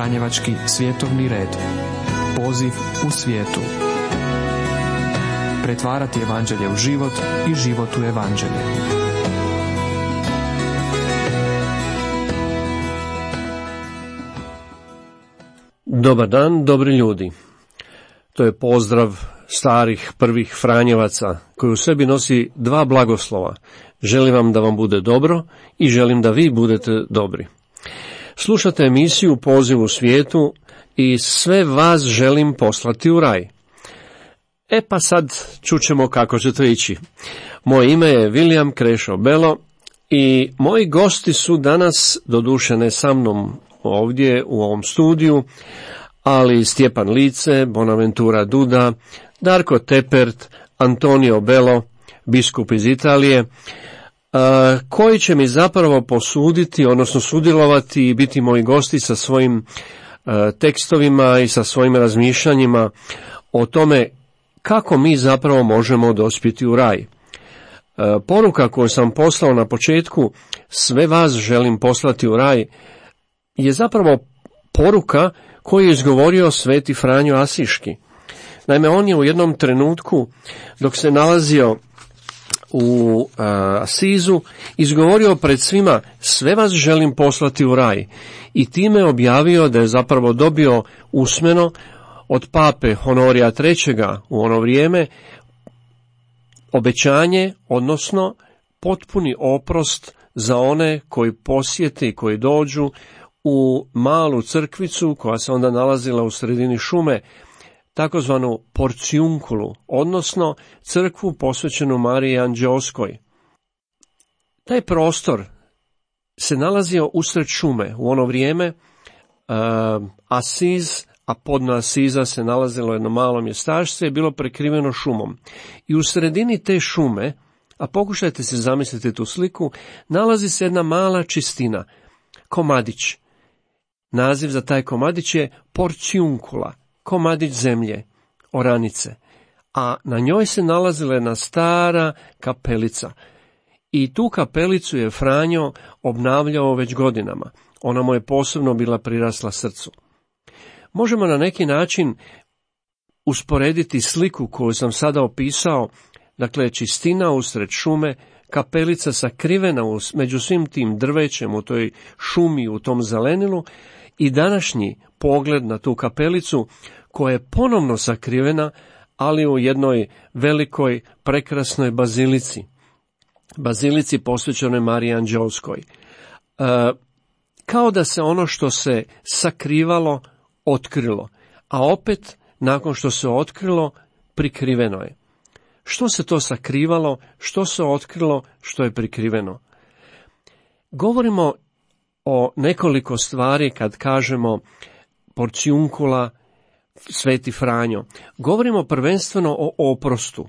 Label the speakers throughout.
Speaker 1: Franjevački svjetovni red. Poziv u svijetu. Pretvarati evanđelje u život i život u evanđelje.
Speaker 2: Dobar dan, dobri ljudi. To je pozdrav starih prvih Franjevaca koji u sebi nosi dva blagoslova. Želim vam da vam bude dobro i želim da vi budete dobri. Slušate emisiju Poziv u svijetu i sve vas želim poslati u raj. Pa sad čućemo kako će to ići. Moje ime je William Krešo Belo i moji gosti su danas, doduše ne sa mnom ovdje u ovom studiju, ali Stjepan Lice, Bonaventura Duda, Darko Tepert, Antonio Belo, biskup iz Italije, koji će mi zapravo posuditi, odnosno sudjelovati i biti moji gosti sa svojim tekstovima i sa svojim razmišljanjima o tome kako mi zapravo možemo dospjeti u raj. Poruka koju sam poslao na početku, sve vas želim poslati u raj, je zapravo poruka koju je izgovorio sveti Franjo Asiški. Naime, on je u jednom trenutku, dok se nalazio u Asizu, izgovorio pred svima, sve vas želim poslati u raj, i time objavio da je zapravo dobio usmeno od pape Honorija III. U ono vrijeme obećanje, odnosno potpuni oprost za one koji posjete i koji dođu u malu crkvicu koja se onda nalazila u sredini šume, takozvanu Porciunkulu, odnosno crkvu posvećenu Mariji Anđeoskoj. Taj prostor se nalazio usred šume. U ono vrijeme Asiz, a podna Asiza se nalazilo jedno malo mjestašce, je bilo prekriveno šumom. I u sredini te šume, a pokušajte se zamisliti tu sliku, nalazi se jedna mala čistina, komadić. Naziv za taj komadić je Porciunkula, komadić zemlje, oranice, a na njoj se nalazila jedna stara kapelica. I tu kapelicu je Franjo obnavljao već godinama. Ona mu je posebno bila prirasla srcu. Možemo na neki način usporediti sliku koju sam sada opisao, dakle čistina usred šume, kapelica sakrivena među svim tim drvećem u toj šumi, u tom zelenilu, i današnji pogled na tu kapelicu koja je ponovno sakrivena, ali u jednoj velikoj, prekrasnoj bazilici posvećenoj Mariji Anđeoskoj. Kao da se ono što se sakrivalo, otkrilo, a opet, nakon što se otkrilo, prikriveno je. Što se to sakrivalo, što se otkrilo, što je prikriveno? Govorimo o nekoliko stvari kad kažemo Porciunkula, sveti Franjo. Govorimo prvenstveno o oprostu,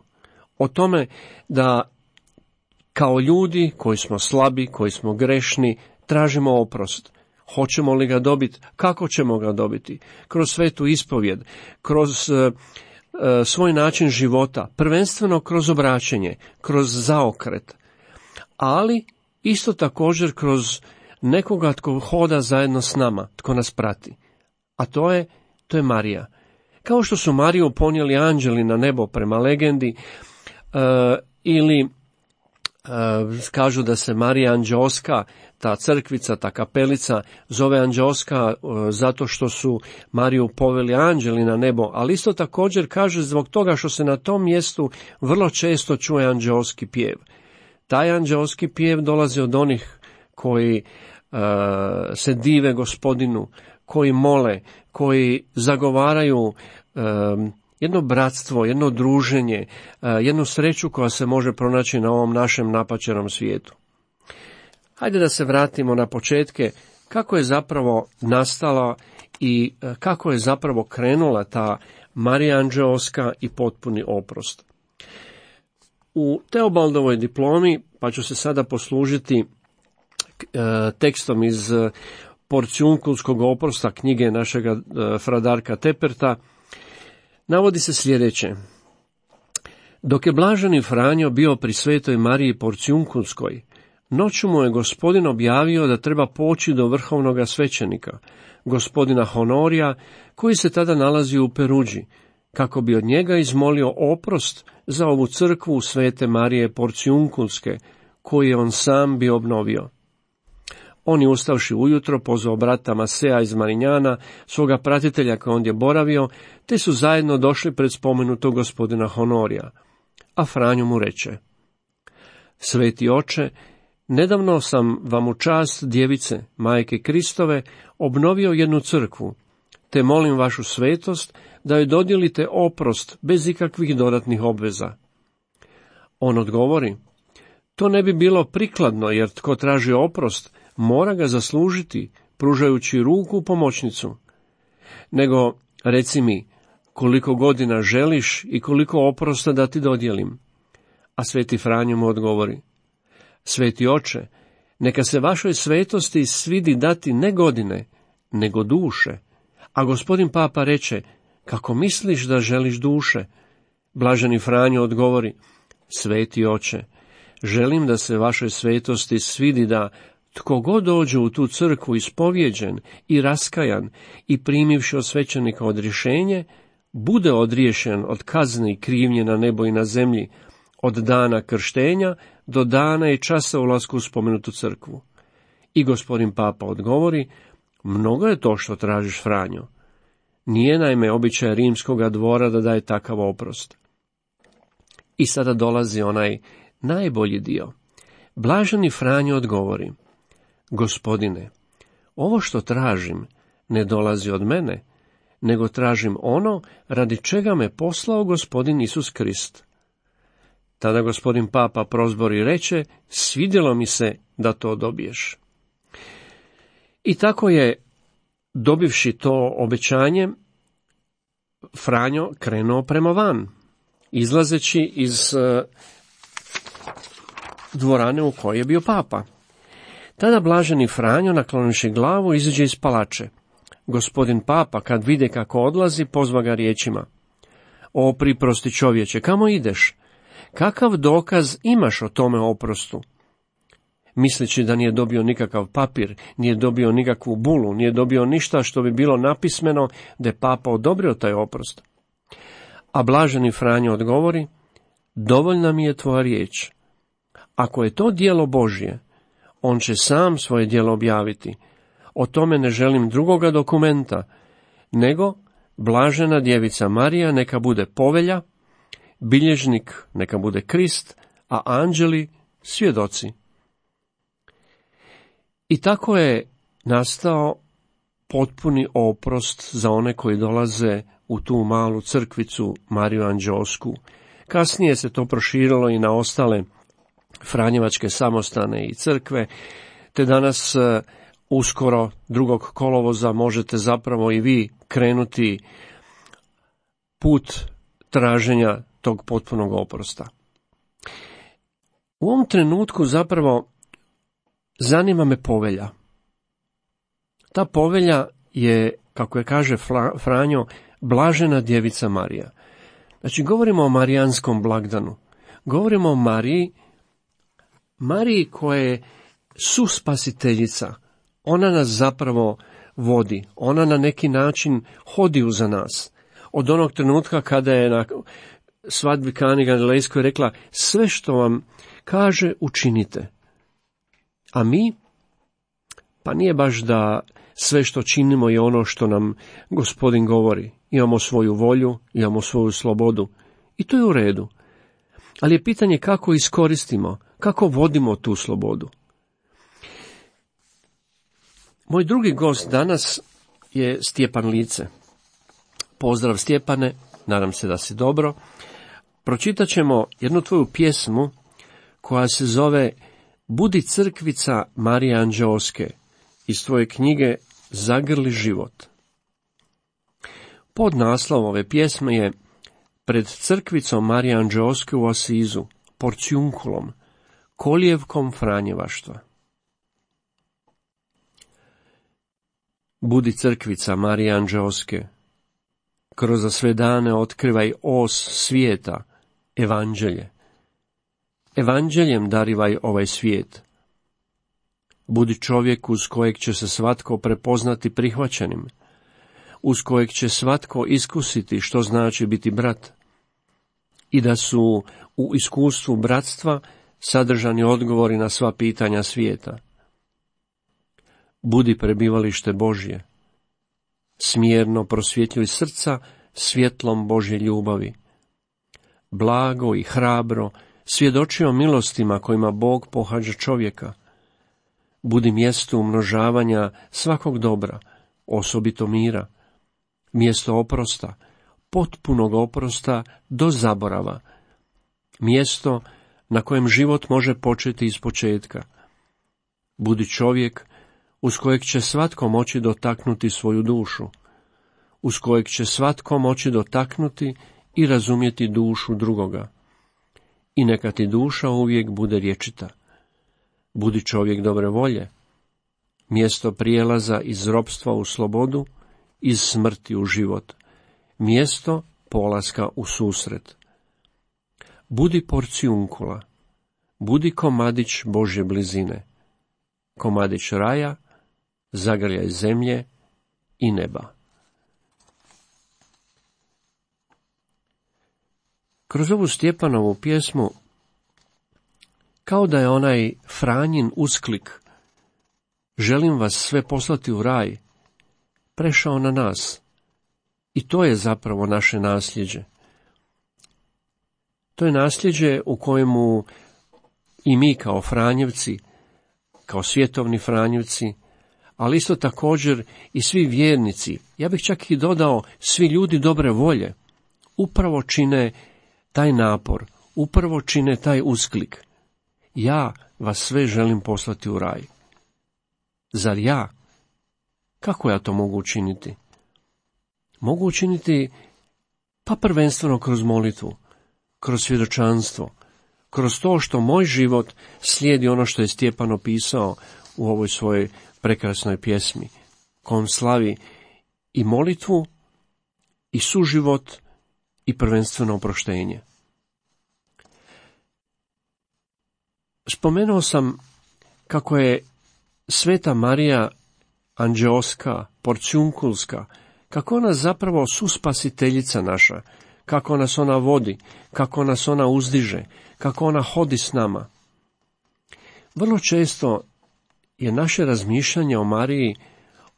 Speaker 2: o tome da kao ljudi koji smo slabi, koji smo grešni, tražimo oprost. Hoćemo li ga dobiti? Kako ćemo ga dobiti? Kroz svetu ispovjed, kroz svoj način života, prvenstveno kroz obraćenje, kroz zaokret, ali isto također kroz nekoga tko hoda zajedno s nama, tko nas prati. A to je Marija. Kao što su Mariju ponijeli anđeli na nebo prema legendi, ili kažu da se Marija Anđeoska, ta crkvica, ta kapelica, zove Anđeoska zato što su Mariju poveli anđeli na nebo, ali isto također kaže zbog toga što se na tom mjestu vrlo često čuje anđeoski pjev. Taj anđeoski pjev dolazi od onih koji se dive Gospodinu, koji mole, koji zagovaraju jedno bratstvo, jedno druženje, jednu sreću koja se može pronaći na ovom našem napaćenom svijetu. Hajde da se vratimo na početke, kako je zapravo nastala i kako je zapravo krenula ta Marija Anđeoska i potpuni oprost. U Teobaldovoj diplomi, pa ću se sada poslužiti tekstom iz Porciunkulskog oprosta, knjige našega fradarka Teperta, navodi se sljedeće. Dok je blaženi Franjo bio pri svetoj Mariji Porciunkulskoj, Noću mu je Gospodin objavio da treba poći do vrhovnoga svećenika, gospodina Honorija, koji se tada nalazi u Peruđi, kako bi od njega izmolio oprost za ovu crkvu Svete Marije Porcijunkulske, koju je on sam bio obnovio. On je ustavši ujutro pozvao brata Masea iz Marinjana, svoga pratitelja koji ondje boravio, te su zajedno došli pred spomenutog gospodina Honorija. A Franjo mu reče: Sveti oče, nedavno sam vam u čast djevice, majke Kristove, obnovio jednu crkvu, te molim vašu svetost da joj dodijelite oprost bez ikakvih dodatnih obveza. On odgovori: To ne bi bilo prikladno, jer tko traži oprost, mora ga zaslužiti, pružajući ruku pomoćnicu. Nego, reci mi, koliko godina želiš i koliko oprosta da ti dodijelim? A sveti Franjo mu odgovori: Sveti oče, neka se vašoj svetosti svidi dati ne godine, nego duše. A gospodin Papa reče: Kako misliš da želiš duše? Blaženi Franjo odgovori: Sveti oče, želim da se vašoj svetosti svidi da tko god dođe u tu crkvu ispovjeđen i raskajan i primivši od svećenika odrješenje, bude odriješen od kazne i krivnje na nebo i na zemlji, od dana krštenja do dana i časa ulaska u spomenutu crkvu. I gospodin Papa odgovori: Mnogo je to što tražiš, Franjo. Nije naime običaj rimskoga dvora da daje takav oprost. I sada dolazi onaj najbolji dio. Blaženi Franjo odgovori: Gospodine, ovo što tražim ne dolazi od mene, nego tražim ono radi čega me poslao gospodin Isus Krist. Tada gospodin Papa prozbori i reče: Svidjelo mi se da to dobiješ. I tako je, dobivši to obećanje, Franjo krenuo prema van, izlazeći iz dvorane u kojoj je bio Papa. Tada blaženi Franjo, naklonivši glavu, izađe iz palače. Gospodin Papa, kad vide kako odlazi, pozva ga riječima: O priprosti čovječe, kamo ideš? Kakav dokaz imaš o tome oprostu? Misleći da nije dobio nikakav papir, nije dobio nikakvu bulu, nije dobio ništa što bi bilo napismeno da je Papa odobrio taj oprost. A blaženi Franjo odgovori: Dovoljna mi je tvoja riječ. Ako je to djelo Božje, on će sam svoje djelo objaviti. O tome ne želim drugoga dokumenta, nego blažena djevica Marija neka bude povelja, bilježnik neka bude Krist, a anđeli svjedoci. I tako je nastao potpuni oprost za one koji dolaze u tu malu crkvicu Mariju Anđeosku. Kasnije se to proširilo i na ostale franjevačke samostane i crkve, te danas uskoro 2. kolovoza možete zapravo i vi krenuti put traženja tog potpunog oprosta. U ovom trenutku zapravo zanima me povelja. Ta povelja je, kako je kaže Franjo, blažena djevica Marija. Znači, govorimo o marijanskom blagdanu. Govorimo o Mariji koja je suspasiteljica. Ona nas zapravo vodi. Ona na neki način hodi uza nas. Od onog trenutka kada je na svadbi Kani Galilejskoj rekla: Sve što vam kaže učinite. A mi? Pa nije baš da sve što činimo je ono što nam Gospodin govori. Imamo svoju volju, imamo svoju slobodu. I to je u redu. Ali je pitanje kako iskoristimo, kako vodimo tu slobodu. Moj drugi gost danas je Stjepan Lice. Pozdrav Stjepane, nadam se da si dobro. Pročitat ćemo jednu tvoju pjesmu koja se zove Budi crkvica Marije Anđeoske iz tvoje knjige Zagrli život. Podnaslov ove pjesme je Pred crkvicom Marije Anđeoske u Asizu, Porcijunkulom, kolijevkom franjevaštva. Budi crkvica Marije Anđeoske, kroz sve dane otkrivaj os svijeta, evanđelje. Evanđeljem darivaj ovaj svijet, Budi čovjek uz kojeg će se svatko prepoznati prihvaćenim, uz kojeg će svatko iskusiti što znači biti brat, i da su u iskustvu bratstva sadržani odgovori na sva pitanja svijeta. Budi prebivalište Božje. Smjerno prosvjetljuj srca svjetlom Božje ljubavi. Blago i hrabro svjedoči o milostima kojima Bog pohađa čovjeka. Budi mjesto umnožavanja svakog dobra, osobito mira. Mjesto oprosta, potpunog oprosta do zaborava. Mjesto na kojem život može početi iz početka. Budi čovjek uz kojeg će svatko moći dotaknuti svoju dušu, uz kojeg će svatko moći dotaknuti i razumjeti dušu drugoga. I neka ti duša uvijek bude rječita. Budi čovjek dobre volje, mjesto prijelaza iz ropstva u slobodu, iz smrti u život, mjesto polaska u susret. Budi porcijunkula, budi komadić Božje blizine, komadić raja, zagrljaj zemlje i neba. Kroz ovu Stjepanovu pjesmu, kao da je onaj Franjin usklik, želim vas sve poslati u raj, prešao na nas. I to je zapravo naše nasljeđe. To je nasljeđe u kojemu i mi kao Franjevci, kao svjetovni Franjevci, ali isto također i svi vjernici, ja bih čak i dodao svi ljudi dobre volje, upravo čine taj napor, upravo čine taj usklik. Ja vas sve želim poslati u raj. Zar ja? Kako ja to mogu učiniti? Mogu učiniti pa prvenstveno kroz molitvu, kroz svjedočanstvo, kroz to što moj život slijedi ono što je Stjepan opisao u ovoj svojoj prekrasnoj pjesmi, kojom slavi i molitvu, i suživot, i prvenstveno oproštenje. Spomenuo sam kako je Sveta Marija anđeoska, porciunkulska, kako ona zapravo suspasiteljica naša, kako nas ona vodi, kako nas ona uzdiže, kako ona hodi s nama. Vrlo često je naše razmišljanje o Mariji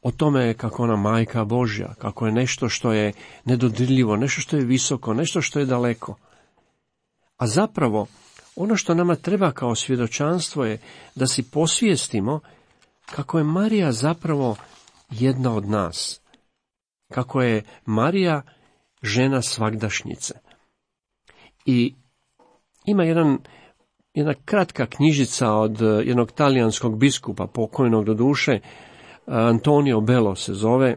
Speaker 2: o tome kako ona majka Božja, kako je nešto što je nedodirljivo, nešto što je visoko, nešto što je daleko. A zapravo, ono što nama treba kao svjedočanstvo je da si posvijestimo kako je Marija zapravo jedna od nas, kako je Marija žena svagdašnjice. I ima jedna kratka knjižica od jednog talijanskog biskupa, pokojnog doduše, Antonio Bello se zove.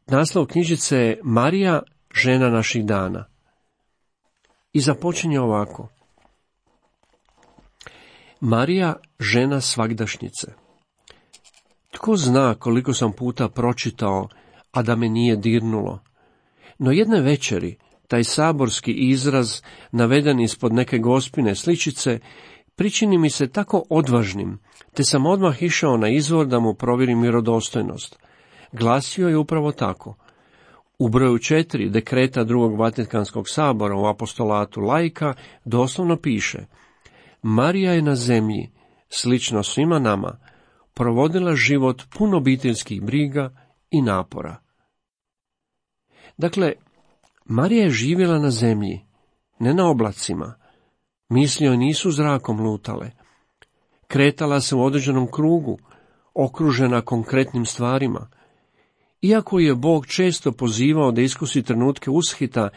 Speaker 2: Naslov knjižice je Marija, žena naših dana. I započinje ovako. Marija, žena svagdašnjice. Tko zna koliko sam puta pročitao, a da me nije dirnulo. No jedne večeri, taj saborski izraz, naveden ispod neke gospine sličice, pričini mi se tako odvažnim, te sam odmah išao na izvor da mu provjerim vjerodostojnost. Glasio je upravo tako. U broju 4 dekreta drugog Vatikanskog sabora u apostolatu laika doslovno piše: Marija je na zemlji, slično svima nama, provodila život pun obiteljskih briga i napora. Dakle, Marija je živjela na zemlji, ne na oblacima. Misli joj nisu zrakom lutale. Kretala se u određenom krugu, okružena konkretnim stvarima. Iako je Bog često pozivao da iskusi trenutke ushita,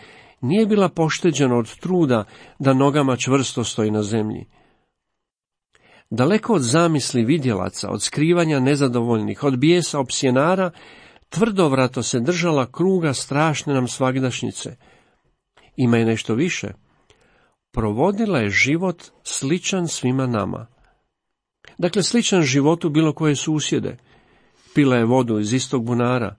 Speaker 2: nije bila pošteđena od truda da nogama čvrsto stoji na zemlji. Daleko od zamisli vidjelaca, od skrivanja nezadovoljnih, od bijesa opsjenara, tvrdovrato se držala kruga strašne nam svagdašnjice. Ima je nešto više. Provodila je život sličan svima nama. Dakle, sličan životu bilo koje susjede. Pila je vodu iz istog bunara,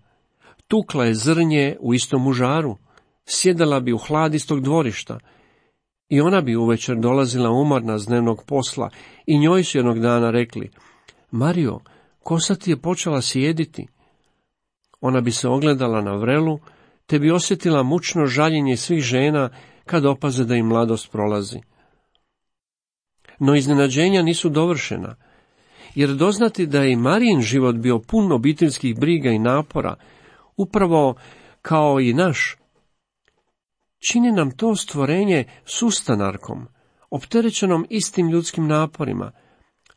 Speaker 2: tukla je zrnje u istom užaru, sjedala bi u hlad istog dvorišta. I ona bi uvečer dolazila umorna s dnevnog posla i njoj su jednog dana rekli: Marijo, kosa ti je počela sjediti. Ona bi se ogledala na vrelu, te bi osjetila mučno žaljenje svih žena kad opaze da im mladost prolazi. No iznenađenja nisu dovršena, jer doznati da je i Marijin život bio pun obiteljskih briga i napora, upravo kao i naš, čini nam to stvorenje sustanarkom, opterećenom istim ljudskim naporima,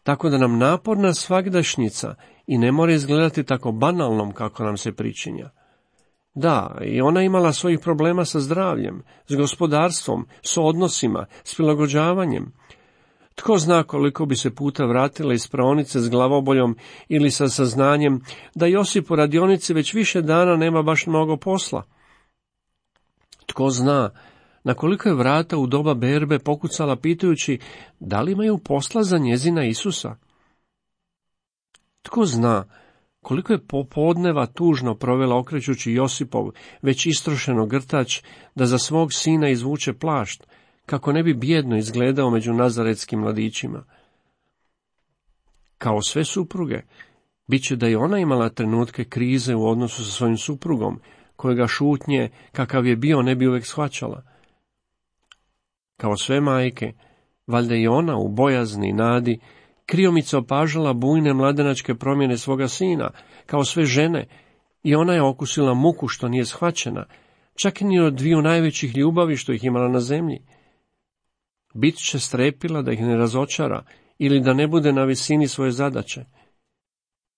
Speaker 2: tako da nam naporna svagdašnjica i ne mora izgledati tako banalnom kako nam se pričinja. Da, i ona imala svojih problema sa zdravljem, s gospodarstvom, s odnosima, s prilagođavanjem. Tko zna koliko bi se puta vratila iz praonice s glavoboljom ili sa saznanjem da Josip u radionici već više dana nema baš mnogo posla. Tko zna na koliko je vrata u doba berbe pokucala pitajući da li imaju posla za njezina Isusa. Tko zna koliko je popodneva tužno provela okrećući Josipov već istrošeno grtač da za svog sina izvuče plašt, kako ne bi bijedno izgledao među nazaretskim mladićima. Kao sve supruge, bit će da i ona imala trenutke krize u odnosu sa svojim suprugom, kojega šutnje, kakav je bio, ne bi uvijek shvaćala. Kao sve majke, valjda i ona u bojazni i nadi, kriomica opažala bujne mladenačke promjene svoga sina. Kao sve žene, i ona je okusila muku što nije shvaćena, čak i ni od dviju najvećih ljubavi što ih imala na zemlji. Bit će strepila da ih ne razočara ili da ne bude na visini svoje zadaće.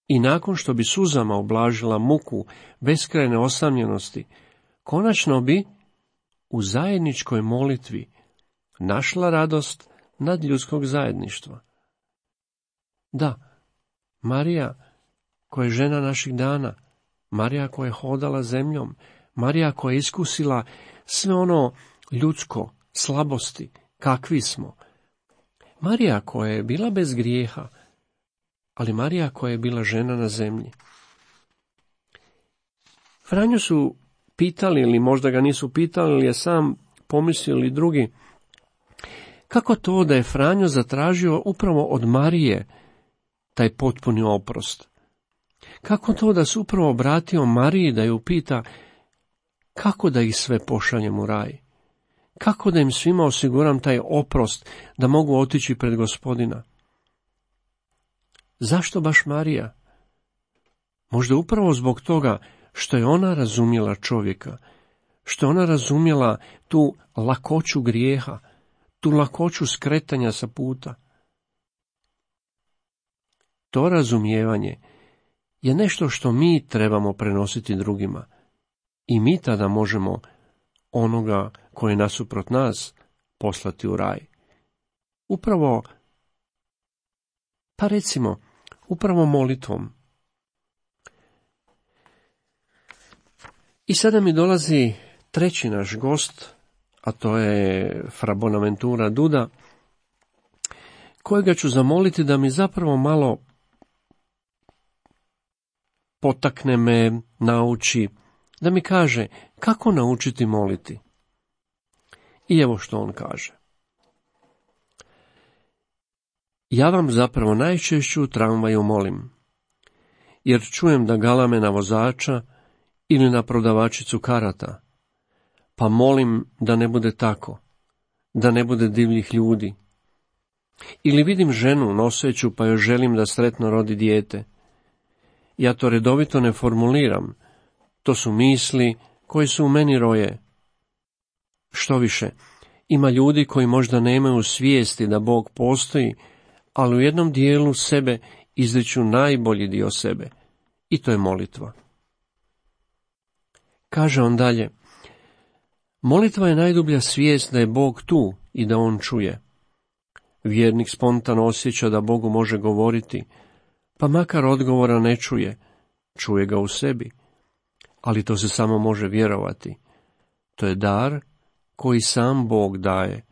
Speaker 2: I nakon što bi suzama oblažila muku beskrajne osamljenosti, konačno bi u zajedničkoj molitvi našla radost nadljudskog zajedništva. Da, Marija, koja je žena naših dana, Marija koja je hodala zemljom, Marija koja je iskusila sve ono ljudsko, slabosti, kakvi smo. Marija koja je bila bez grijeha, ali Marija koja je bila žena na zemlji. Franju su pitali, ili možda ga nisu pitali, ili je sam pomislio ili drugi, kako to da je Franjo zatražio upravo od Marije taj potpuni oprost? Kako to da se upravo obratio Mariji da ju pita kako da ih sve pošaljem u raj? Kako da im svima osiguram taj oprost da mogu otići pred Gospodina? Zašto baš Marija? Možda upravo zbog toga što je ona razumjela čovjeka, što je ona razumjela tu lakoću grijeha, tu lakoću skretanja sa puta. To razumijevanje je nešto što mi trebamo prenositi drugima i mi tada možemo onoga koji je nasuprot nas poslati u raj. Upravo, pa recimo, upravo molitvom. I sada mi dolazi treći naš gost, a to je fra Bonaventura Duda, kojega ću zamoliti da mi zapravo malo potakne me, nauči, da mi kaže kako naučiti moliti. I evo što on kaže. Ja vam zapravo najčešće u tramvaju molim, jer čujem da galame na vozača ili na prodavačicu karata, pa molim da ne bude tako, da ne bude divljih ljudi. Ili vidim ženu noseću pa joj želim da sretno rodi dijete. Ja to redovito ne formuliram, to su misli koje su u meni roje. Što više, ima ljudi koji možda nemaju svijesti da Bog postoji, ali u jednom dijelu sebe izriču najbolji dio sebe, i to je molitva. Kaže on dalje, molitva je najdublja svijest da je Bog tu i da on čuje. Vjernik spontano osjeća da Bogu može govoriti, pa makar odgovora ne čuje, čuje ga u sebi, ali to se samo može vjerovati. To je dar koji sam Bog daje.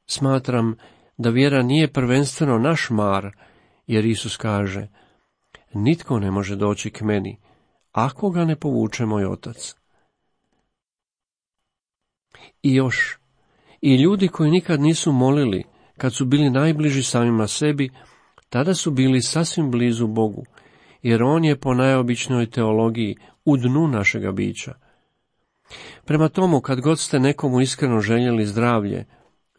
Speaker 2: Smatram da vjera nije prvenstveno naš mar, jer Isus kaže, nitko ne može doći k meni, ako ga ne povuče moj Otac. I još, i ljudi koji nikad nisu molili, kad su bili najbliži samima sebi, tada su bili sasvim blizu Bogu, jer on je po najobičnoj teologiji u dnu našega bića. Prema tomu, kad god ste nekomu iskreno željeli zdravlje,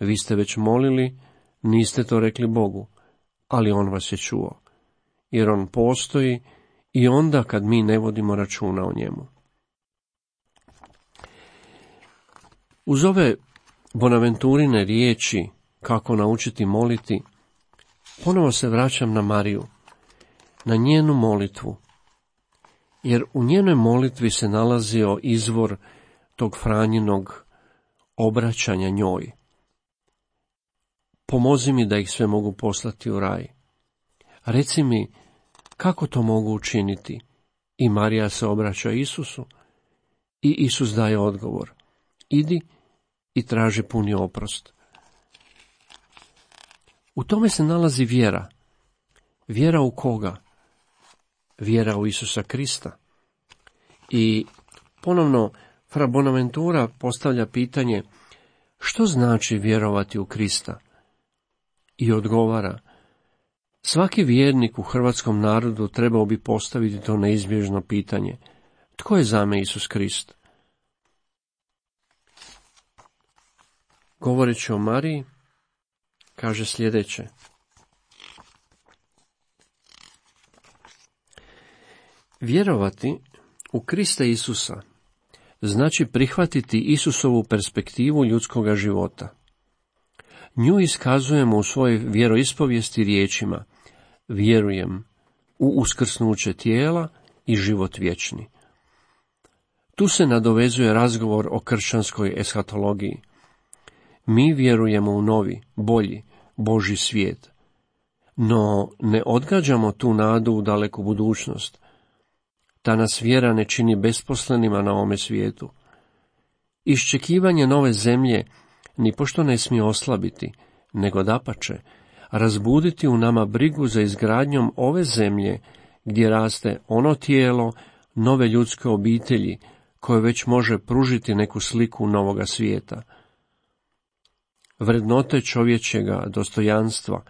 Speaker 2: vi ste već molili, niste to rekli Bogu, ali on vas je čuo, jer on postoji i onda kad mi ne vodimo računa o njemu. Uz ove Bonaventurine riječi kako naučiti moliti, ponovo se vraćam na Mariju, na njenu molitvu, jer u njenoj molitvi se nalazio izvor tog Franjinog obraćanja njoj. Pomozi mi da ih sve mogu poslati u raj. Reci mi kako to mogu učiniti. I Marija se obraća Isusu i Isus daje odgovor. Idi i traži puni oprost. U tome se nalazi vjera. Vjera u koga? Vjera u Isusa Krista. I ponovno fra Bonaventura postavlja pitanje, što znači vjerovati u Krista? I odgovara, svaki vjernik u hrvatskom narodu trebao bi postaviti to neizbježno pitanje, tko je za me Isus Krist? Govoreći o Mariji, kaže sljedeće. Vjerovati u Krista Isusa znači prihvatiti Isusovu perspektivu ljudskoga života. Nju iskazujemo u svojoj vjeroispovijesti riječima: vjerujem u uskrsnuće tijela i život vječni. Tu se nadovezuje razgovor o kršćanskoj eshatologiji. Mi vjerujemo u novi, bolji, Božji svijet, no ne odgađamo tu nadu u daleku budućnost. Ta nas vjera ne čini besposlenima na ovome svijetu. Iščekivanje nove zemlje nipošto ne smije oslabiti, nego dapače, razbuditi u nama brigu za izgradnjom ove zemlje, gdje raste ono tijelo nove ljudske obitelji, koje već može pružiti neku sliku novoga svijeta. Vrednote čovječjega dostojanstva,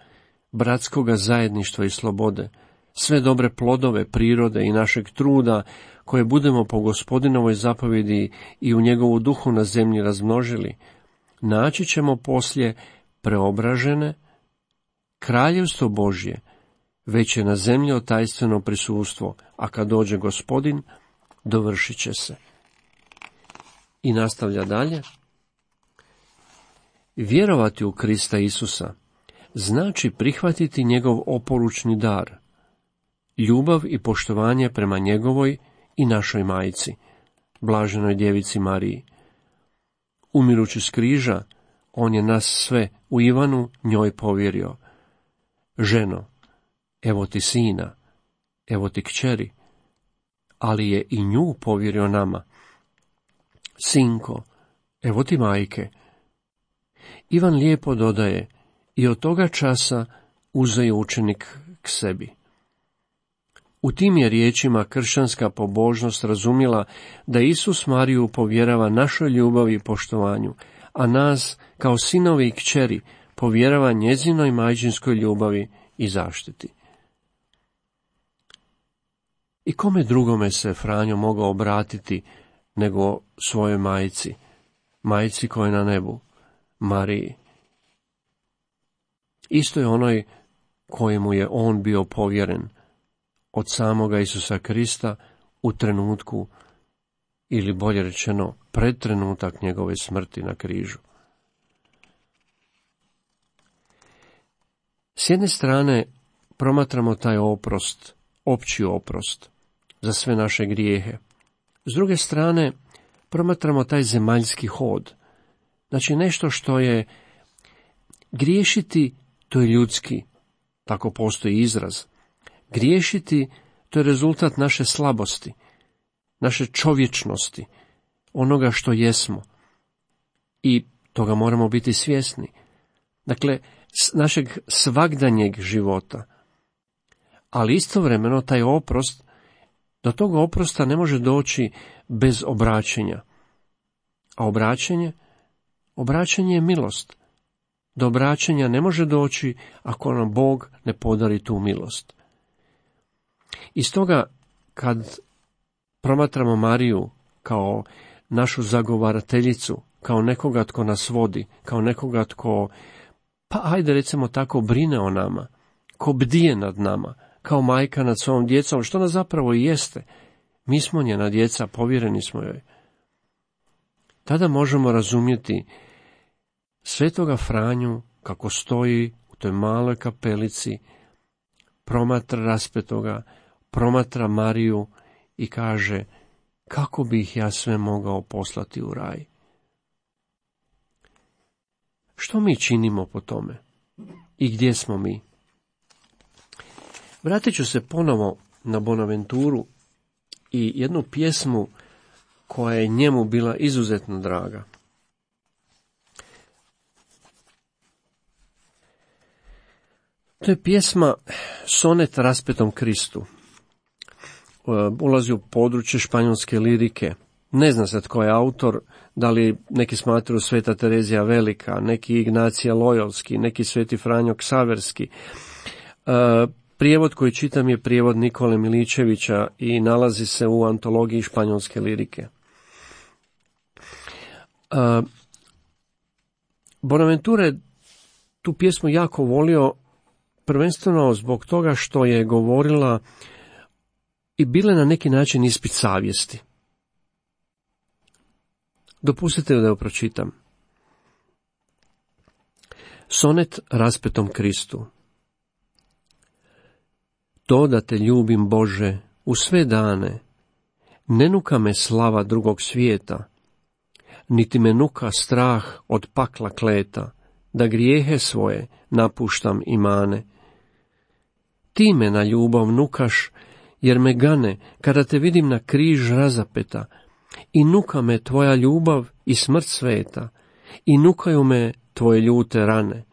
Speaker 2: bratskoga zajedništva i slobode, sve dobre plodove prirode i našeg truda, koje budemo po Gospodinovoj zapovjedi i u njegovu duhu na zemlji razmnožili, naći ćemo poslije preobražene, kraljevstvo Božje, već je na zemlji otajstveno prisustvo, a kad dođe Gospodin, dovršit će se. I nastavlja dalje. Vjerovati u Krista Isusa znači prihvatiti njegov oporučni dar, ljubav i poštovanje prema njegovoj i našoj majci, blaženoj djevici Mariji. Umirući s križa, on je nas sve u Ivanu njoj povjerio. Ženo, evo ti sina, evo ti kćeri, ali je i nju povjerio nama. Sinko, evo ti majke. Ivan lijepo dodaje, i od toga časa uze je učenik k sebi. U tim je riječima kršćanska pobožnost razumjela da Isus Mariju povjerava našoj ljubavi i poštovanju, a nas, kao sinovi i kćeri, povjerava njezinoj majčinskoj ljubavi i zaštiti. I kome drugome se Franjo mogao obratiti nego svojoj majci, majci koja je na nebu, Mariji. Isto je onoj kojemu je on bio povjeren od samoga Isusa Krista u trenutku, ili bolje rečeno, pred trenutak njegove smrti na križu. S jedne strane promatramo taj oprost, opći oprost za sve naše grijehe. S druge strane promatramo taj zemaljski hod. Znači nešto što je griješiti, to je ljudski, tako postoji izraz. Griješiti, to je rezultat naše slabosti, naše čovječnosti, onoga što jesmo. I toga moramo biti svjesni. Dakle, našeg svagdanjeg života. Ali istovremeno taj oprost, do tog oprosta ne može doći bez obraćenja. A obraćenje je milost. Do obraćanja ne može doći ako nam Bog ne podari tu milost. I stoga, kad promatramo Mariju kao našu zagovarateljicu, kao nekoga tko nas vodi, kao nekoga tko, pa ajde recimo tako, brine o nama, ko bdije nad nama, kao majka nad svojom djecom, što nas zapravo i jeste. Mi smo njena djeca, povjereni smo joj. Tada možemo razumjeti svetoga Franju kako stoji u toj maloj kapelici, promatra raspetoga, promatra Mariju i kaže: kako bih ja sve mogao poslati u raj? Što mi činimo po tome? I gdje smo mi? Vratit ću se ponovo na Bonaventuru i jednu pjesmu koja je njemu bila izuzetno draga. To je pjesma Sonet raspetom Kristu. Ulazi u područje španjolske lirike. Ne zna se tko je autor, da li neki smatraju Sveta Terezija Velika, neki Ignacija Lojolski, neki Sveti Franjo Ksaverski. Prijevod koji čitam je prijevod Nikole Miličevića i nalazi se u antologiji španjolske lirike. Bonaventura je tu pjesmu jako volio, prvenstveno zbog toga što je govorila i bile na neki način ispit savjesti. Dopustite da ju pročitam. Sonet raspetom Kristu. To da te ljubim, Bože, u sve dane, ne nuka me slava drugog svijeta, niti me nuka strah od pakla kleta, da grijehe svoje napuštam i mane. Ti me na ljubav nukaš, jer me gane kada te vidim na križ razapeta, i nuka me tvoja ljubav i smrt sveta, i nukaju me tvoje ljute rane.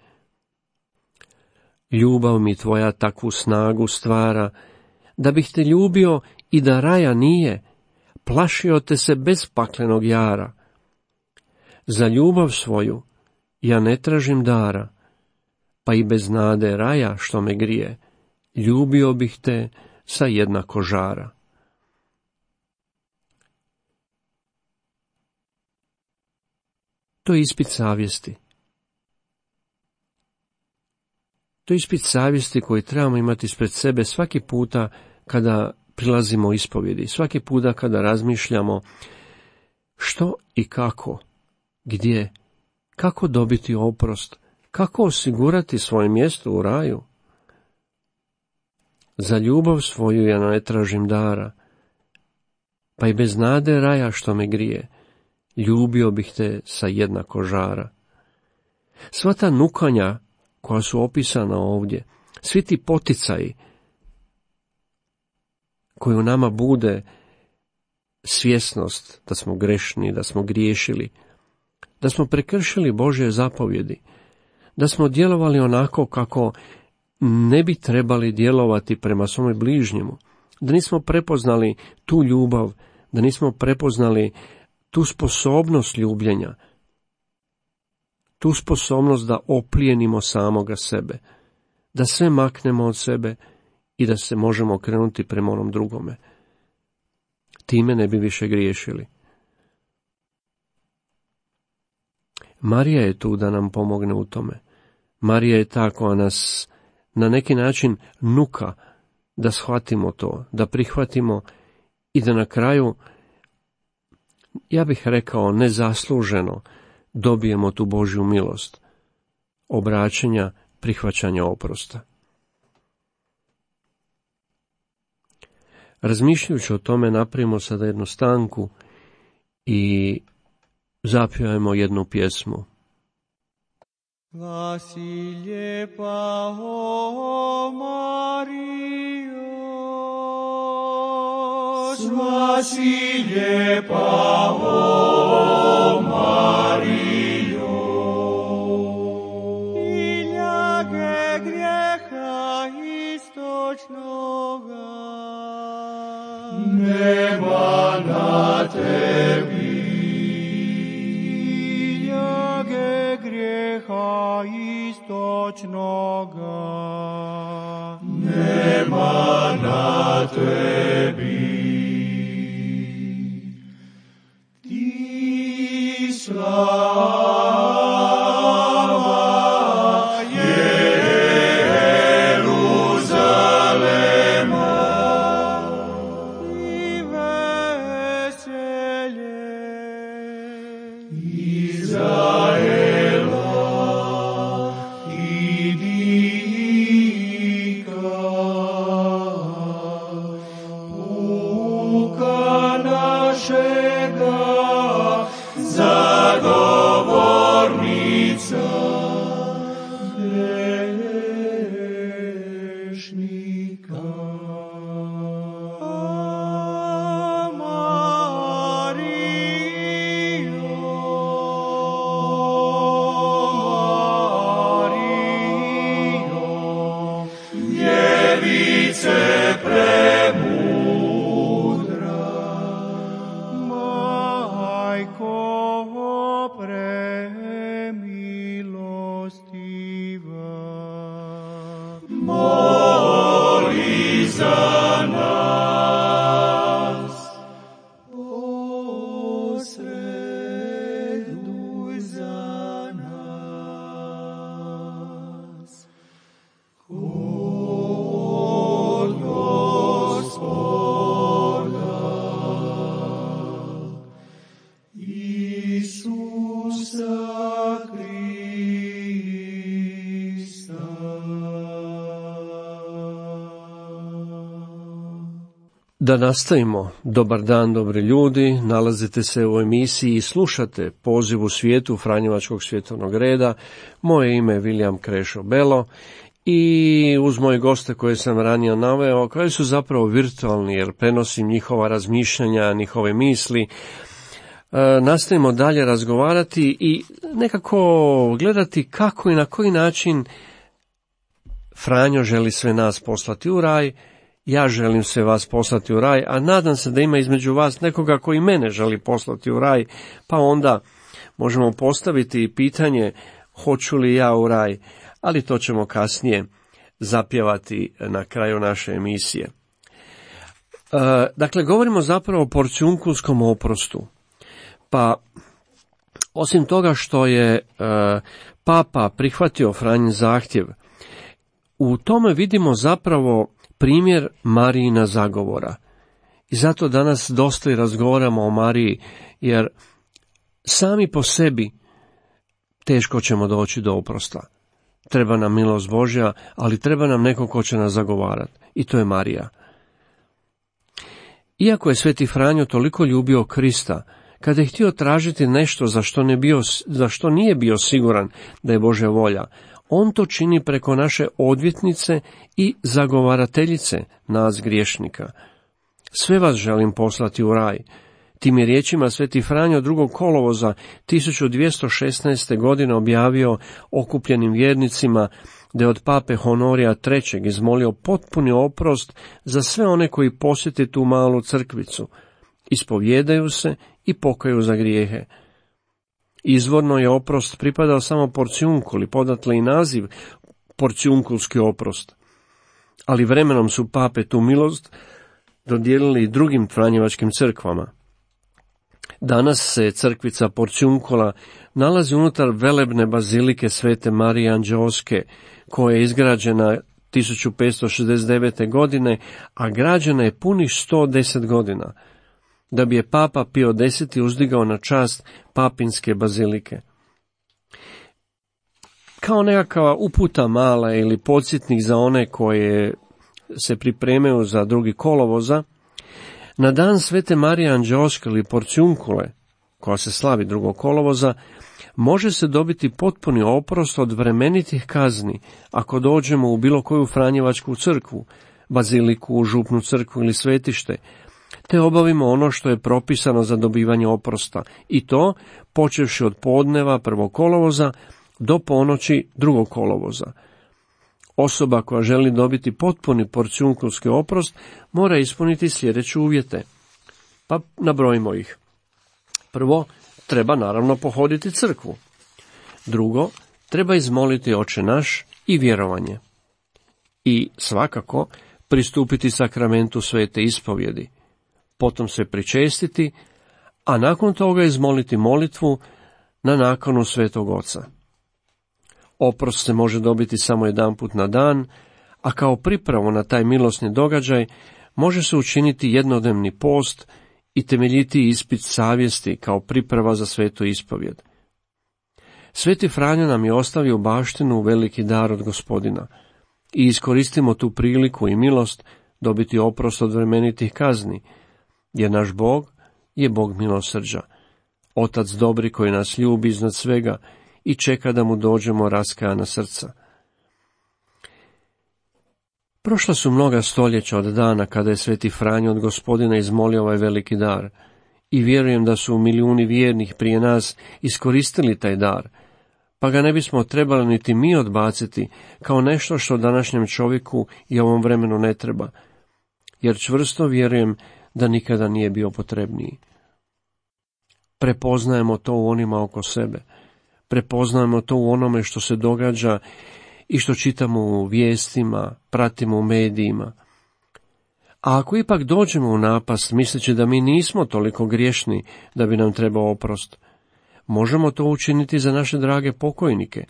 Speaker 2: Ljubav mi tvoja takvu snagu stvara, da bih te ljubio i da raja nije, plašio te se bez paklenog jara. Za ljubav svoju ja ne tražim dara, pa i bez nade raja što me grije, ljubio bih te sa jednako žara. To je ispit savjesti. To je ispit savjesti koji trebamo imati ispred sebe svaki puta kada prilazimo ispovjedi, svaki puta kada razmišljamo što i kako, gdje, kako dobiti oprost, kako osigurati svoje mjesto u raju. Za ljubav svoju ja ne tražim dara, pa i bez nade raja što me grije, ljubio bih te sa jednako žara. Sva ta nukanja koja su opisana ovdje, svi ti poticaji koji u nama bude svjesnost da smo grešni, da smo griješili, da smo prekršili Božje zapovjedi, da smo djelovali onako kako ne bi trebali djelovati prema svome bližnjemu, da nismo prepoznali tu ljubav, da nismo prepoznali tu sposobnost ljubljenja, tu sposobnost da oplijenimo samoga sebe, da sve maknemo od sebe i da se možemo okrenuti prema onom drugome. Time ne bi više griješili. Marija je tu da nam pomogne u tome. Marija je ta koja nas na neki način nuka da shvatimo to, da prihvatimo i da na kraju, ja bih rekao nezasluženo, dobijemo tu Božju milost, obraćanja, prihvaćanja oprosta. Razmišljajući o tome, napravimo sada jednu stanku i zapjevajmo jednu pjesmu.
Speaker 3: Glasi lijepa, o Marijo, glasi lijepa, o Marijo, i ljage grijeha istočnoga nema na tebi. Grijeha noćnoga, nema na tebi. Ti slava Jeruzalema i veselje Izraela i dika puka našega zagovornica grešnika. Moli za nas, posreduj za nas. Kod Gospoda Isusa
Speaker 2: Da nastavimo. Dobar dan, dobri ljudi. Nalazite se u emisiji i slušate Poziv u svijetu Franjevačkog svjetovnog reda. Moje ime je William Krešo Belo i uz moje goste koje sam ranije naveo, koji su zapravo virtualni jer prenosim njihova razmišljanja, njihove misli, nastavimo dalje razgovarati i nekako gledati kako i na koji način Franjo želi sve nas poslati u raj. Ja želim sve vas poslati u raj, a nadam se da ima između vas nekoga koji mene želi poslati u raj, pa onda možemo postaviti pitanje hoću li ja u raj, ali to ćemo kasnije zapjevati na kraju naše emisije. Dakle, govorimo zapravo o porciunkulskom oprostu. Pa, osim toga što je Papa prihvatio Franjin zahtjev, u tome vidimo zapravo primjer Marijina zagovora. I zato danas dosta i razgovaramo o Mariji, jer sami po sebi teško ćemo doći do oprosta. Treba nam milost Božja, ali treba nam neko ko će nas zagovarati. I to je Marija. Iako je Sveti Franjo toliko ljubio Krista, kada je htio tražiti nešto za što nije bio siguran da je Božja volja, on to čini preko naše odvjetnice i zagovarateljice nas griješnika. Sve vas želim poslati u raj. Tim je riječima Sveti Franjo 2. kolovoza 1216. godine objavio okupljenim vjernicima da je od pape Honorija III. Izmolio potpuni oprost za sve one koji posjete tu malu crkvicu, ispovjedaju se i pokaju za grijehe. Izvorno je oprost pripadao samo porciunkuli, podatle i naziv porciunkulski oprost. Ali vremenom su pape tu milost dodijelili i drugim franjevačkim crkvama. Danas se crkvica Porciunkula nalazi unutar velebne bazilike Svete Marije Anđeoske, koja je izgrađena 1569. godine, a građena je punih 110 godina, da bi je Papa Pio X uzdigao na čast papinske bazilike. Kao nekakva uputa mala ili podsjetnik za one koje se pripremaju za 2. kolovoza, na dan Svete Marije Anđeoske ili Porciunkule, koja se slavi 2. kolovoza, može se dobiti potpuni oprost od vremenitih kazni ako dođemo u bilo koju franjevačku crkvu, baziliku, župnu crkvu ili svetište, te obavimo ono što je propisano za dobivanje oprosta, i to počevši od podneva 1. kolovoza do ponoći 2. kolovoza. Osoba koja želi dobiti potpuni porciunkulski oprost mora ispuniti sljedeće uvjete. Pa nabrojimo ih. Prvo, treba naravno pohoditi crkvu. Drugo, treba izmoliti Oče naš i vjerovanje. I svakako pristupiti sakramentu svete ispovjedi, potom se pričestiti, a nakon toga izmoliti molitvu na nakanu Svetog Oca. Oprost se može dobiti samo jedanput na dan, a kao pripravu na taj milosni događaj može se učiniti jednodnevni post i temeljiti ispit savjesti kao priprava za svetu ispovjed. Sveti Franjo nam je ostavio baštinu veliki dar od Gospodina i iskoristimo tu priliku i milost dobiti oprost od vremenitih kazni, jer naš Bog je Bog milosrđa, Otac dobri koji nas ljubi iznad svega i čeka da mu dođemo raskajana srca. Prošla su mnoga stoljeća od dana kada je Sveti Franjo od Gospodina izmolio ovaj veliki dar i vjerujem da su milijuni vjernih prije nas iskoristili taj dar, pa ga ne bismo trebali niti mi odbaciti kao nešto što današnjem čovjeku i ovom vremenu ne treba, jer čvrsto vjerujem da nikada nije bio potrebniji. Prepoznajemo to u onima oko sebe, prepoznajemo to u onome što se događa i što čitamo u vijestima, pratimo u medijima. A ako ipak dođemo u napast misleći da mi nismo toliko griješni da bi nam trebao oprost, možemo to učiniti za naše drage pokojnike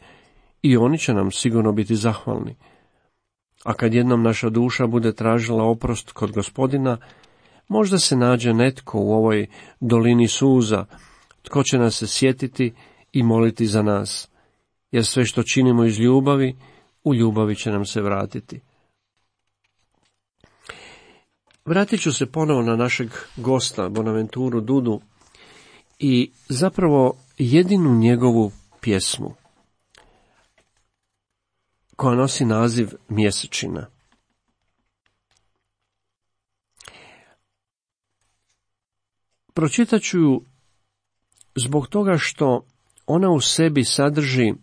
Speaker 2: i oni će nam sigurno biti zahvalni. A kad jednom naša duša bude tražila oprost kod Gospodina, možda se nađe netko u ovoj dolini suza, tko će nas se sjetiti i moliti za nas, jer sve što činimo iz ljubavi, u ljubavi će nam se vratiti. Vratit ću se ponovo na našeg gosta, Bonaventuru Dudu, i zapravo jedinu njegovu pjesmu, koja nosi naziv Mjesečina. Pročitat ću ju zbog toga što ona u sebi sadrži,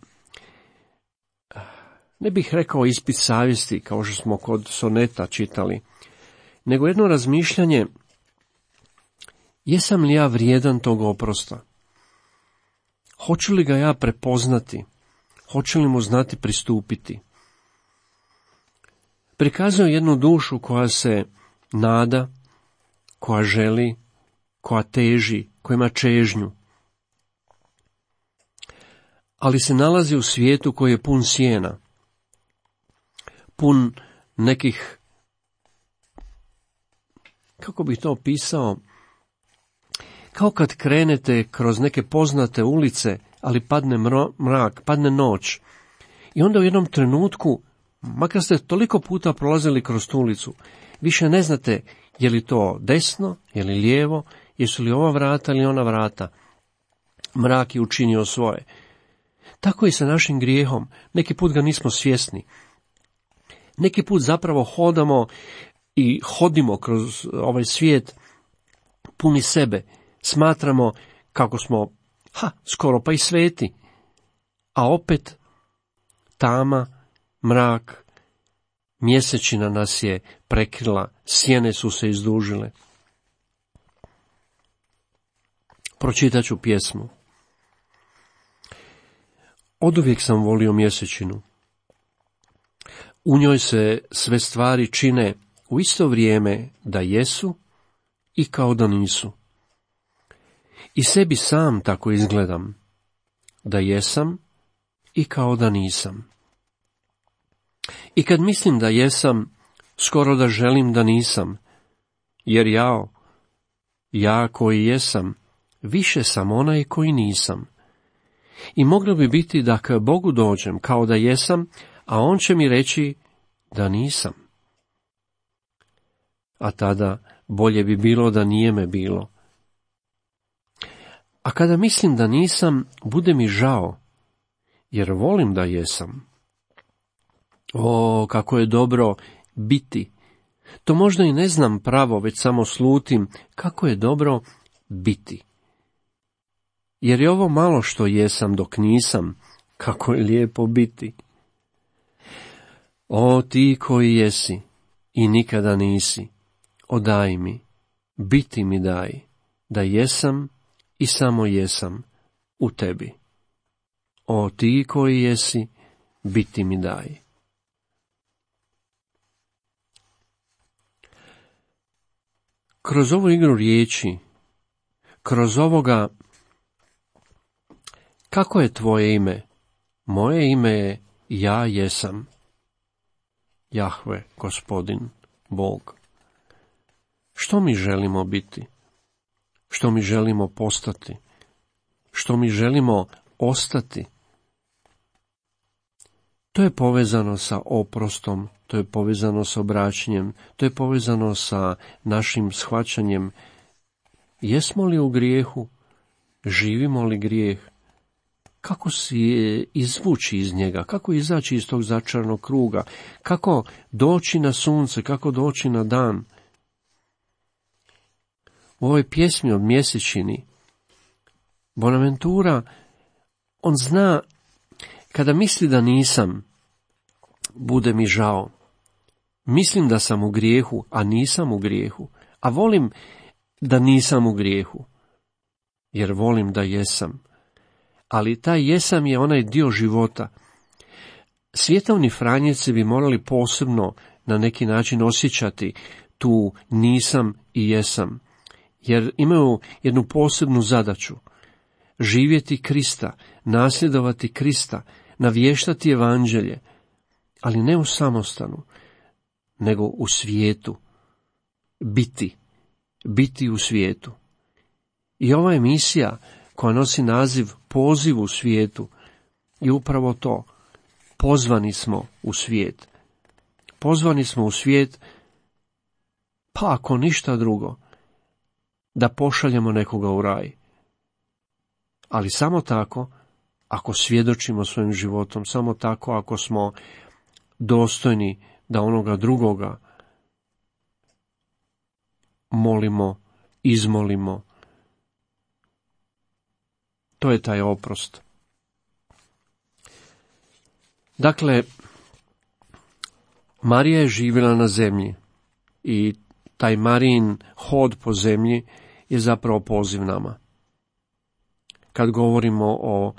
Speaker 2: ne bih rekao ispit savjesti, kao što smo kod soneta čitali, nego jedno razmišljanje, jesam li ja vrijedan tog oprosta? Hoću li ga ja prepoznati? Hoću li mu znati pristupiti? Prikazuje jednu dušu koja se nada, koja želi, koja teži, koja ima čežnju, ali se nalazi u svijetu koji je pun sjena, pun nekih, kako bih to opisao, kao kad krenete kroz neke poznate ulice, ali padne mrak, padne noć, i onda u jednom trenutku, makar ste toliko puta prolazili kroz tu ulicu, više ne znate je li to desno, je li lijevo, jesu li ova vrata ili ona vrata. Mrak je učinio svoje. Tako i sa našim grijehom, neki put ga nismo svjesni. Neki put zapravo hodamo i hodimo kroz ovaj svijet puni sebe, smatramo kako smo, skoro pa i sveti, a opet tama, mrak, mjesečina nas je prekrila, sjene su se izdužile. Pročitat ću pjesmu. Oduvijek sam volio mjesečinu. U njoj se sve stvari čine u isto vrijeme da jesu i kao da nisu. I sebi sam tako izgledam, da jesam i kao da nisam. I kad mislim da jesam, skoro da želim da nisam, jer ja koji jesam, više sam onaj koji nisam. I moglo bi biti da k Bogu dođem kao da jesam, a on će mi reći da nisam. A tada bolje bi bilo da nije me bilo. A kada mislim da nisam, bude mi žao, jer volim da jesam. O, kako je dobro biti. To možda i ne znam pravo, već samo slutim kako je dobro biti. Jer je ovo malo što jesam dok nisam, kako je lijepo biti. O, ti koji jesi i nikada nisi, odaj mi, biti mi daj, da jesam i samo jesam u tebi. O, ti koji jesi, biti mi daj. Kroz ovu igru riječi, kroz ovoga, kako je tvoje ime? Moje ime je ja jesam. Jahve, Gospodin, Bog. Što mi želimo biti? Što mi želimo postati? Što mi želimo ostati? To je povezano sa oprostom, to je povezano sa obraćanjem, to je povezano sa našim shvaćanjem. Jesmo li u grijehu? Živimo li grijeh? Kako si izvući iz njega? Kako izaći iz tog začaranog kruga? Kako doći na sunce? Kako doći na dan? U ovoj pjesmi od mjesečini Bonaventura, on zna, kada misli da nisam, bude mi žao. Mislim da sam u grijehu, a nisam u grijehu. A volim da nisam u grijehu, jer volim da jesam. Ali taj jesam je onaj dio života. Svjetovni franjevci bi morali posebno na neki način osjećati tu nisam i jesam, jer imaju jednu posebnu zadaću. Živjeti Krista, nasljedovati Krista, navještati evanđelje, ali ne u samostanu, nego u svijetu. Biti u svijetu. I ova emisija koja nosi naziv Poziv u svijetu je upravo to. Pozvani smo u svijet. Pozvani smo u svijet, pa ako ništa drugo, da pošaljemo nekoga u raj. Ali samo tako, ako svjedočimo svojim životom, samo tako ako smo dostojni da onoga drugoga molimo, izmolimo. To je taj oprost. Dakle, Marija je živjela na zemlji i taj Marijin hod po zemlji je zapravo poziv nama. Kad govorimo o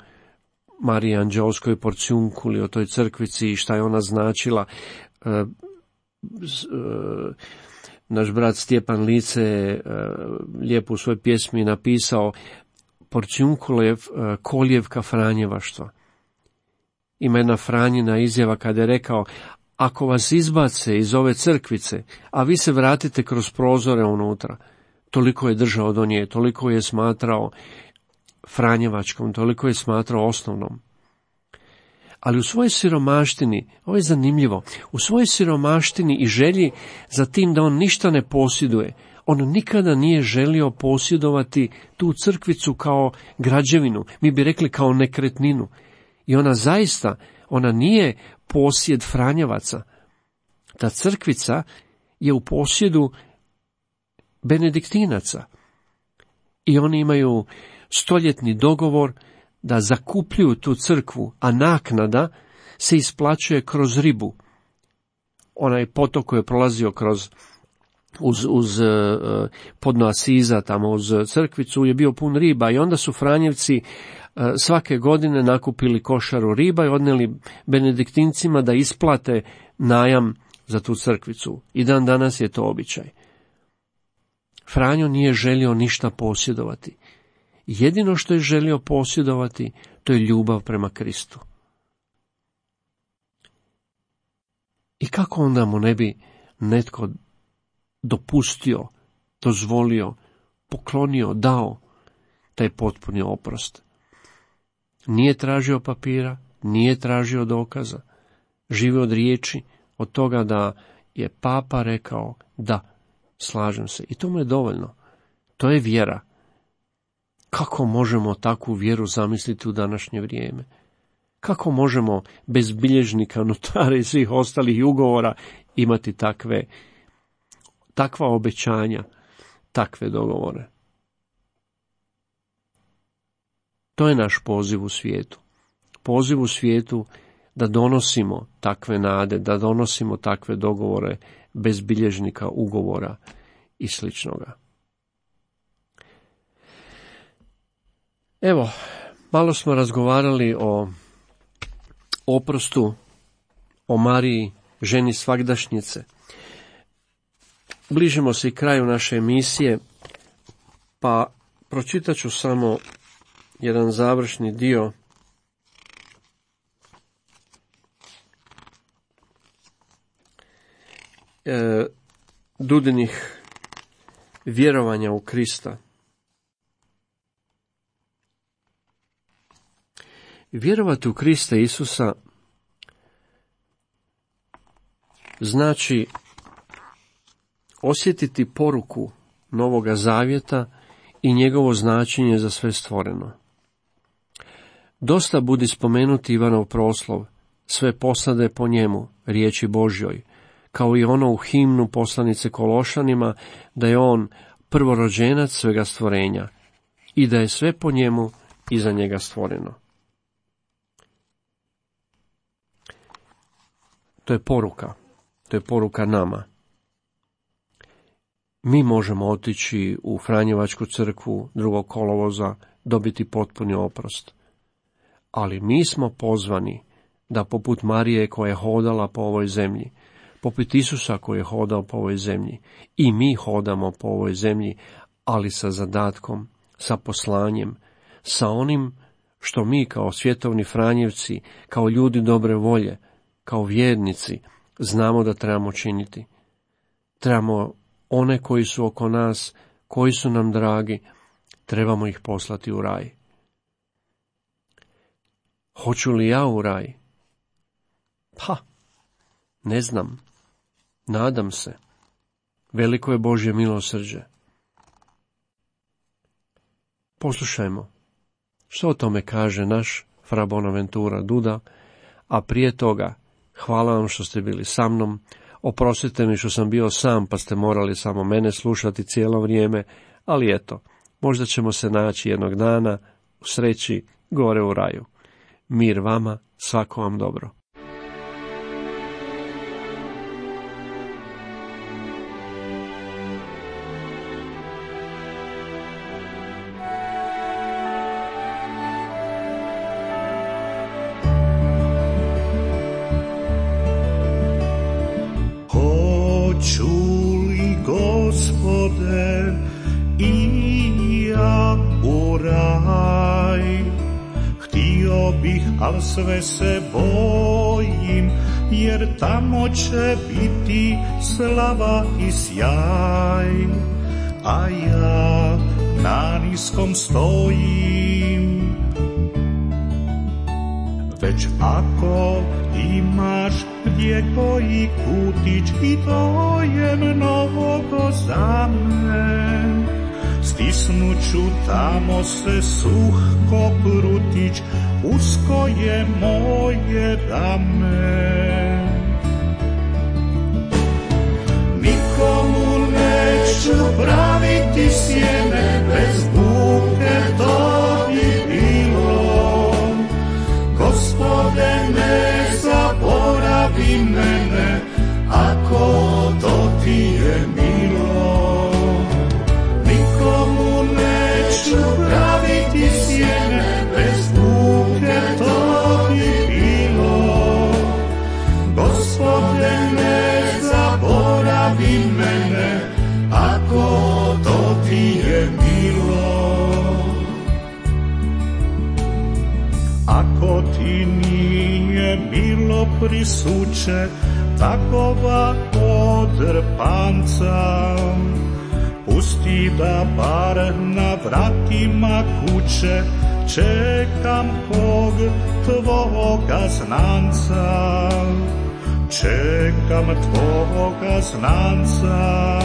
Speaker 2: Mariji Anđeoskoj porciunkuli, o toj crkvici i šta je ona značila, naš brat Stjepan Lice je lijepo u svojoj pjesmi napisao porciunkulev koljevka franjevaštva. Ima jedna Franjina izjava kada je rekao: ako vas izbace iz ove crkvice, a vi se vratite kroz prozore unutra, toliko je držao do nje, toliko je smatrao franjevačkom, toliko je smatrao osnovnom. Ali u svojoj siromaštini, ovo je zanimljivo, u svojoj siromaštini i želji za tim da on ništa ne posjeduje, on nikada nije želio posjedovati tu crkvicu kao građevinu, mi bi rekli kao nekretninu. I ona zaista, ona nije posjed franjevaca. Ta crkvica je u posjedu benediktinaca. I oni imaju stoljetni dogovor da zakupljuju tu crkvu, a naknada se isplaćuje kroz ribu. Onaj potok koji je prolazio uz podno Asiza, tamo uz crkvicu, je bio pun riba i onda su franjevci svake godine nakupili košaru riba i odnijeli benediktincima da isplate najam za tu crkvicu. I dan danas je to običaj. Franjo nije želio ništa posjedovati. Jedino što je želio posjedovati, to je ljubav prema Kristu. I kako onda mu ne bi netko dopustio, dozvolio, poklonio, dao taj potpuni oprost? Nije tražio papira, nije tražio dokaza, živi od riječi, od toga da je papa rekao da, slažem se. I to mu je dovoljno. To je vjera. Kako možemo takvu vjeru zamisliti u današnje vrijeme? Kako možemo bez bilježnika, notara i svih ostalih ugovora imati takva obećanja, takve dogovore? To je naš poziv u svijetu. Poziv u svijetu da donosimo takve nade, da donosimo takve dogovore bez bilježnika, ugovora i sličnoga. Evo, malo smo razgovarali o oprostu, o Mariji, ženi svagdašnjice. Bližimo se i kraju naše emisije, pa pročitat ću samo jedan završni dio Dudinih vjerovanja u Krista. Vjerovati u Krista Isusa znači osjetiti poruku Novoga Zavjeta i njegovo značenje za sve stvoreno. Dosta budi spomenuti Ivanov proslov, sve posade po njemu, riječi Božjoj, kao i ono u himnu poslanice Kološanima, da je on prvorođenac svega stvorenja i da je sve po njemu i za njega stvoreno. To je poruka nama. Mi možemo otići u Franjevačku crkvu 2. kolovoza, dobiti potpuni oprost. Ali mi smo pozvani da poput Marije koja je hodala po ovoj zemlji, poput Isusa koji je hodao po ovoj zemlji, i mi hodamo po ovoj zemlji, ali sa zadatkom, sa poslanjem, sa onim što mi kao svjetovni Franjevci, kao ljudi dobre volje, kao vjernici, znamo da trebamo činiti. Trebamo one koji su oko nas, koji su nam dragi, trebamo ih poslati u raj. Hoću li ja u raj? Pa, ne znam. Nadam se. Veliko je Božje milosrđe. Poslušajmo što o tome kaže naš fra Bonaventura Duda, a prije toga hvala vam što ste bili sa mnom. Oprostite mi što sam bio sam, pa ste morali samo mene slušati cijelo vrijeme, ali eto, možda ćemo se naći jednog dana u sreći gore u raju. Mir vama, svako vam dobro.
Speaker 4: Al sve se bojim, jer tamo će biti slava i sjaj, a ja na niskom stojim. Već ako imaš gdje koji kutić, i to je mnogo za me, stisnuću tamo se suh ko prutić, usko je moje rame. Nikomu neću praviti sjene, bez buke to bi bilo. Gospode, ne zaboravi mene, ako to ti je milo. Nikomu neću praviti sjene, bez buke to bi bilo. Gospode, ne zaboravi mene, ako to ti je milo. Ako ti nije milo prisuće takova odrpanca, pusti da bar na vratima kuće čekam kog tvoga znanca. Čekam tvoga znanca,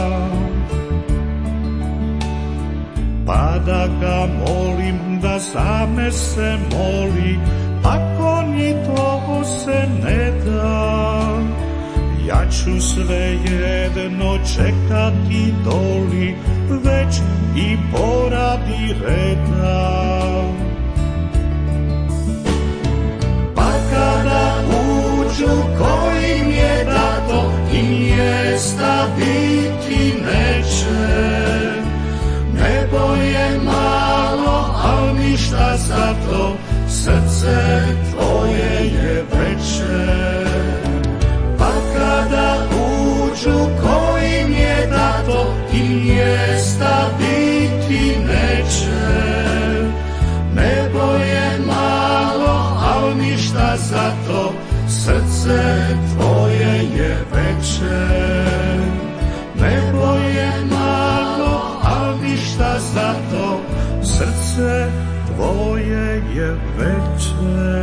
Speaker 4: pa da ga molim da za me se moli, ako ni to se ne da, ja ću svejedno čekati doli, već i poradi reda. Pa kada uđu kojim je dato, i mjesta biti neće. Nebo je malo, al ništa zato, srce tvoje je veće. Pa kada uđu kojim je dato, to i mjesta biti neće. Nebo je malo, al ništa za to, srce tvoje je veće. Nebo je malo, al ništa za to, srce tvoje je veće.